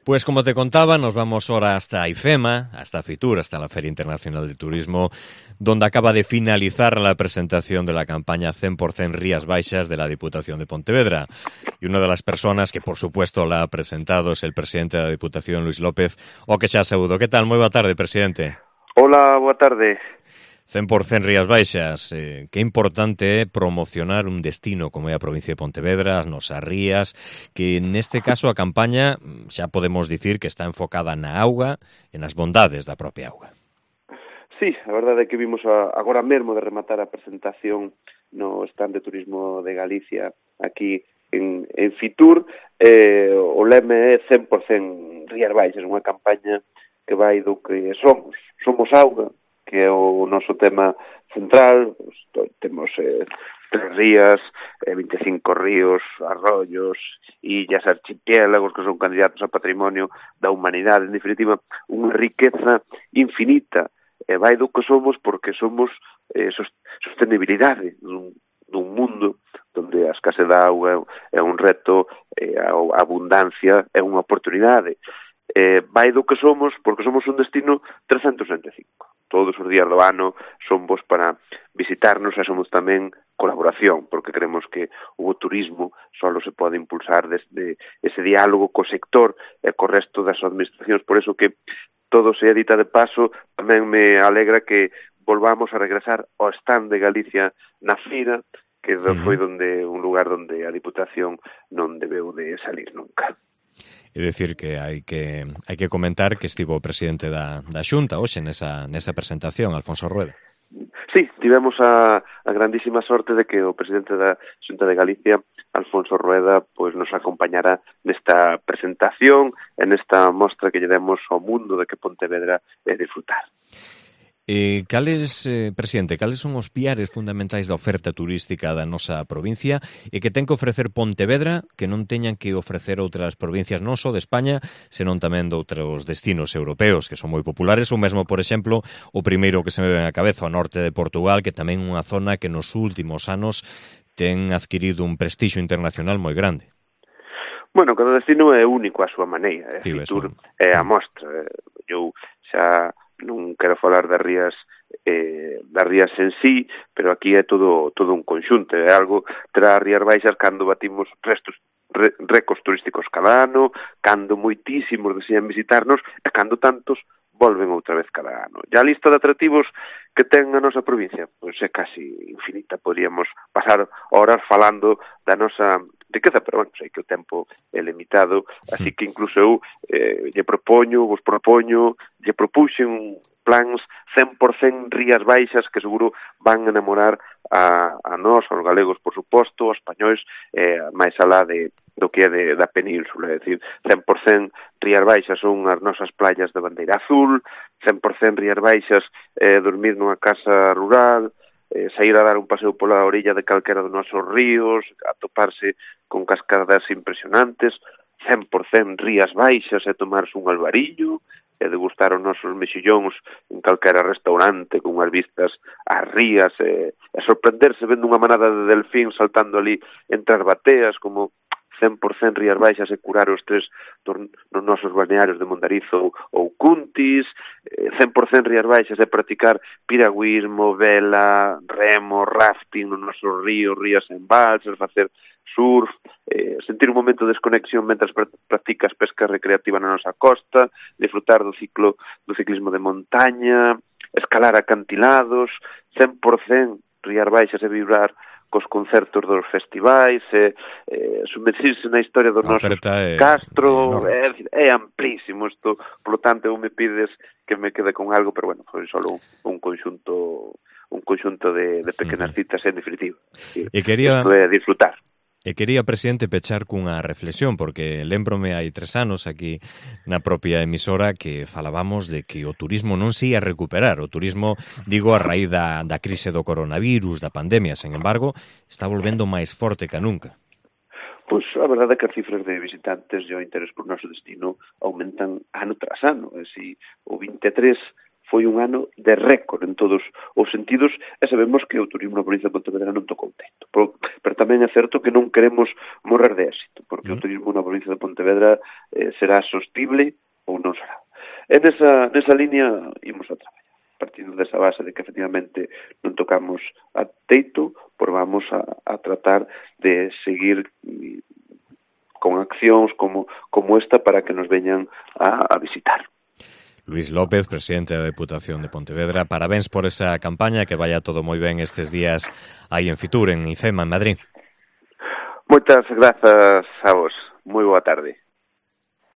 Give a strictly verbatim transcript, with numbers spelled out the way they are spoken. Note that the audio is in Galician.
Pues como te contaba, nos vamos ahora hasta IFEMA, hasta FITUR, hasta la Feria Internacional de Turismo, donde acaba de finalizar la presentación de la campaña cien por ciento Rías Baixas de la Diputación de Pontevedra. Y una de las personas que, por supuesto, la ha presentado es el presidente de la Diputación, Luis López, o que xa saúdo. Que tal? Moi boa tarde, presidente. Hola, boa tarde. cien por ciento Rías Baixas. Eh, que importante é promocionar un destino como é a provincia de Pontevedra, as nosas rías, que neste caso a campaña xa podemos dicir que está enfocada na auga e nas bondades da propia auga. Sí, a verdade é que vimos a, agora mesmo de rematar a presentación no stand de turismo de Galicia aquí en, en Fitur. Eh, o leme é cien por ciento Rías Baixas, unha campaña que vai do que somos. Somos auga, que é o noso tema central. Temos eh, tres rías, eh, vinte e cinco ríos, arroyos, illas, archipiélagos que son candidatos a patrimonio da humanidade. En definitiva, unha riqueza infinita. E vai do que somos porque somos eh, sostenibilidade dun, dun mundo onde a escasez da auga é un reto, eh, a abundancia é unha oportunidade. Eh, vai do que somos porque somos un destino trescentos sesenta e cinco. Todos os días do ano son vos para visitarnos e somos tamén colaboración, porque creemos que o turismo só se pode impulsar desde ese diálogo co sector e co resto das administracións. Por eso que todo se edita de paso, tamén me alegra que volvamos a regresar ao stand de Galicia na Fira, que foi donde un lugar onde a Diputación non debeu de salir nunca. É dicir que hai que hai que comentar que estivo o presidente da, da Xunta hoxe nesa, nesa presentación, Alfonso Rueda. Sí, tivemos a, a grandísima sorte de que o presidente da Xunta de Galicia, Alfonso Rueda, pois nos acompañará nesta presentación e nesta mostra que lle demos ao mundo de que Pontevedra é disfrutar. Eh, cales, eh, presidente, cales son os piares fundamentais da oferta turística da nosa provincia e que ten que ofrecer Pontevedra que non teñan que ofrecer outras provincias non só de España, senón tamén de outros destinos europeos que son moi populares, ou mesmo, por exemplo, o primeiro que se me ven á cabeza, o norte de Portugal, que tamén é unha zona que nos últimos anos ten adquirido un prestixio internacional moi grande. Bueno, cada destino é único á súa maneira. É, Fitur é a mostra. Eu xa non quero falar das rías eh, das rías en sí, pero aquí é todo todo un conxunto, é algo terá as Rías Baixas cando batimos restos re, récords turísticos cada ano, cando moitísimos desean visitarnos e cando tantos volven outra vez cada ano. E a lista de atractivos que ten a nosa provincia, pois é casi infinita, podríamos pasar horas falando da nosa riqueza, pero bueno, sei que o tempo é limitado, así que incluso eu eh, lle propoño, vos propoño, lle propuxen plans cien por ciento Rías Baixas que seguro van a enamorar a, a nós, aos galegos, por suposto, aos españois, eh, máis alá de, do que é de, da península, é dicir, cien por ciento Rías Baixas son as nosas playas de bandeira azul, cien por ciento Rías Baixas eh, dormir nunha casa rural, eh, sair a dar un paseo pola orilla de calquera dos nosos ríos, atoparse con cascadas impresionantes, cien por ciento Rías Baixas e tomarse un alvarillo, e degustar os nosos mexillóns en calquera restaurante con unhas vistas ás rías e, e sorprenderse vendo unha manada de delfín saltando ali entre as bateas como cien por ciento Rías Baixas e curar os tres dos, nos nosos balnearios de Mondarizo ou Cuntis, cien por ciento Rías Baixas é practicar piragüismo, vela, remo, rafting nos nosos ríos, rías en balsas, facer surf, eh, sentir un momento de desconexión mentras practicas pesca recreativa na nosa costa, disfrutar do ciclo do ciclismo de montaña, escalar acantilados, cien por ciento Rías Baixas e vibrar cos concertos dos festivais, e eh, sumerxirse na historia dos nosos é, castro, é, é, é amplísimo isto, por lo tanto, eu me pides que me quede con algo, pero bueno, foi só un, un conxunto un conxunto de, de pequenas citas en definitiva. E quería... Isto é disfrutar. E quería, presidente, pechar cunha reflexión, porque lembrome hai tres anos aquí na propia emisora que falábamos de que o turismo non se ia recuperar. O turismo, digo, a raíz da, da crise do coronavirus, da pandemia, sen embargo, está volvendo máis forte que nunca. Pois a verdade é que as cifras de visitantes e o interés por noso destino aumentan ano tras ano. E si o vinte e tres foi un ano de récord en todos os sentidos e sabemos que o turismo na provincia de Pontevedra non tocou teito. Pero, pero tamén é certo que non queremos morrer de éxito, porque mm. o turismo na provincia de Pontevedra eh, será sostible ou non será. E nesa, nesa línea imos a traballar. Partindo desa base de que efectivamente non tocamos a teito, por vamos a, a tratar de seguir con accións como, como esta para que nos veñan a, a visitar. Luís López, presidente da Deputación de Pontevedra, parabéns por esa campaña, que vaya todo moi ben estes días aí en Fitur, en IFEMA, en Madrid. Moitas grazas a vos. Moi boa tarde.